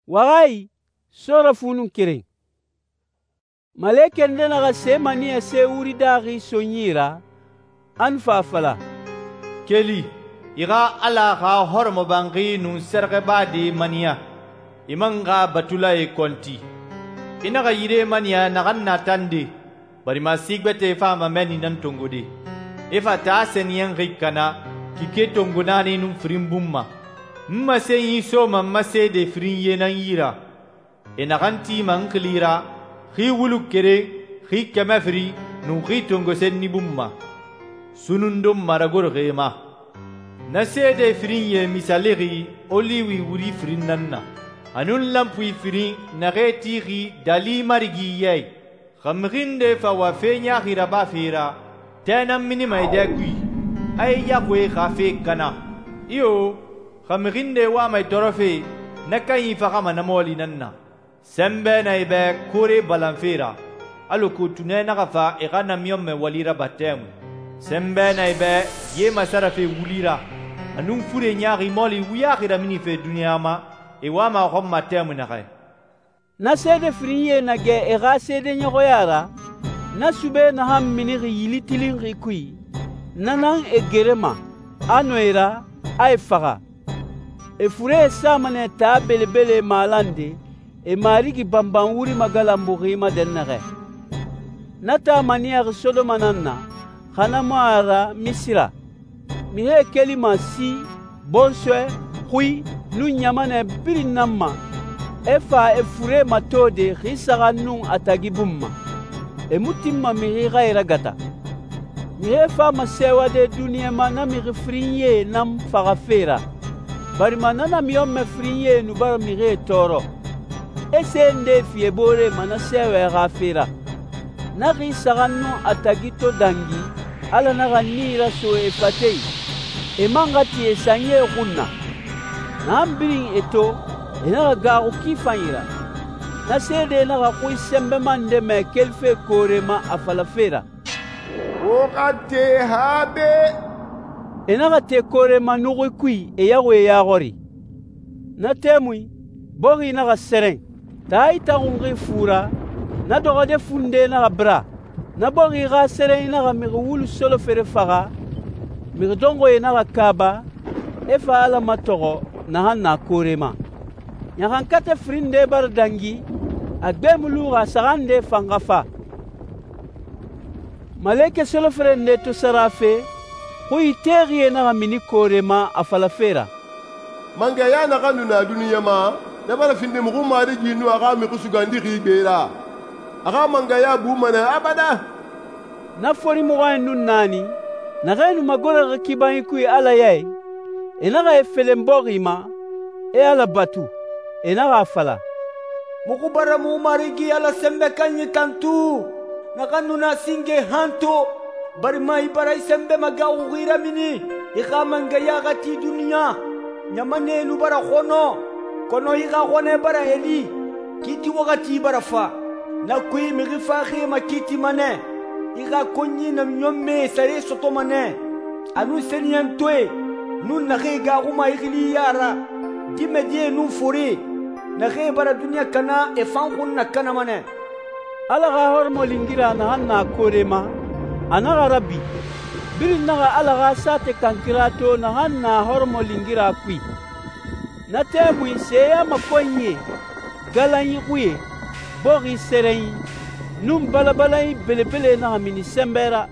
Waxaayi, sɔɔrafu nun keren. Malekɛ nde naxa se maniyɛse wuri daaxi sonyi ra, a nu fa a fala, «Keli, i xa Ala xa hɔrɔmɔbanxi nun sɛrɛxɛbade maniya, i man xa batulae kɔnti. I naxa yire maniya naxan na tande, barima si gbɛtɛe fama mɛnni nan tongode. I fa taa sɛniyɛnxi kana, kike tongo naani nun firin bun ma. N masenyi soma n ma seede firinyie nan yi ra, e naxan tima n xili ra, xi wulu keren, xi kɛmɛ firi, nun xi tongo senni bun ma. Sunundun maragoroxie ma. Na seede firinyie misalixi oliwi wuri firin nan na, a nun lanpui firin naxee tixi dali marigi ya i. Xa mixi nde fa wa fe ɲaaxi rabafe ra, tɛ nan minima e dɛ kui, a e yaxuie xa fe kana. Iyo, xa mixi nde wama e tɔɔrɔfe, na kanyi faxama na mɔɔli nan na. Sɛnbɛ na e bɛ koore balanfe ra, alako tunɛ naxa fa e xa namiɲɔnmɛ wali raba tɛmui. Sɛnbɛ na e bɛ ye masarafe wuli ra, a nun fure ɲaaxi mɔɔli wuyaxi raminife duniɲa ma, e wama a xɔn ma tɛmui naxɛ.» Na seede firinyie na gɛ e xa seedeɲɔxɔya ra, na sube naxan minixi yili tilinxi kui, na nan e gerema, a nɔ e ra, a e faxa. E furee sama nɛ taa belebele malande, e marigi banban wuri magalanbuxi ma dɛnnaxɛ. Na taa maniyaxi Sodoma nan na, xa na mu a ra Misira. Mixie kelima si, bɔnsɔɛ, xui, nun ɲamanɛ birin nan ma, e fa e fure matode xi saxan nun a tagi bun ma. E mu tinma mixi xa e ragata. Mixie fama sɛɛwade duniɲa ma na mixi firinyie nan faxafe ra, barima na namiɲɔnmɛ firinyie nu bara mixie tɔɔrɔ. E se nde fi e boore ma na sɛɛwɛ xa fe ra. Na xi saxan nun a tagi to dangi, Ala naxa nii raso e fate i, e man xa ti e sanyie xun na. Naxan birin e to, e naxa gaaxu ki fanyi ra. Na seede naxa xui sɛnbɛma nde mɛ kelife koore ma a falafe ra, «Wo xa te habe!» E naxa te koore ma nuxui kui e yaxuie ya xɔri. Na tɛmui, bɔxi naxa sɛrɛn. Taa itaxunxi fu ra, na dɔxɔde funde naxa bira. Na bɔxi xa sɛrɛnyi naxa mixi wulu solofere faxa, mixi dɔnxɔe naxa kaaba, e fa Ala matɔxɔ naxan na koore ma. Ɲaxankatɛ firin nde bara dangi, a gbe mu luxi a saxan nde fan xa fa. Malekɛ solofere nde to sara fe, xui texie naxa mini koore ma a falafe ra, «Mangɛya naxan nu na duniɲa ma, na bara findi muxu marigi nun a xa mixi sugandixi gbe ra. A xa mangɛya buma nɛ abada.» Na fori muxɔɲɛn nun naani, naxee nu magoroxi kibanyi kui Ala ya i, e naxa e felen bɔxi ma, e Ala batu. E naxa a fala, «Muxu bara mu Marigi Ala Sɛnbɛ Kanyi tantu, naxan nu na singe hanto, barima i bara i sɛnbɛ magaxuxi ramini, i xa mangɛya xa ti duniɲa. Ɲamanɛe nu bara xɔnɔ, kɔnɔ i xa xɔnɛ bara heli, kiiti waxati bara fa. Na kui mixi faxie makiitima nɛ, i xa konɲi namiɲɔnmɛe sare sɔtɔma nɛ, a nun sɛniyɛntoe, nun naxee gaxuma i xili ya ra, dimɛdie nun fore, naxee bara duniɲa kana e fan xun nakanama nɛ.» Ala xa hɔrɔmɔlingira naxan na koore ma, a naxa rabi. Birin naxa Ala xa saate kankira to naxan na hɔrɔmɔlingira kui. Na tɛmui seya makɔnyie, galanyi xuye, bɔxi sɛrɛnyi, nun balabalanyi belebele naxa mini sɛnbɛ ra.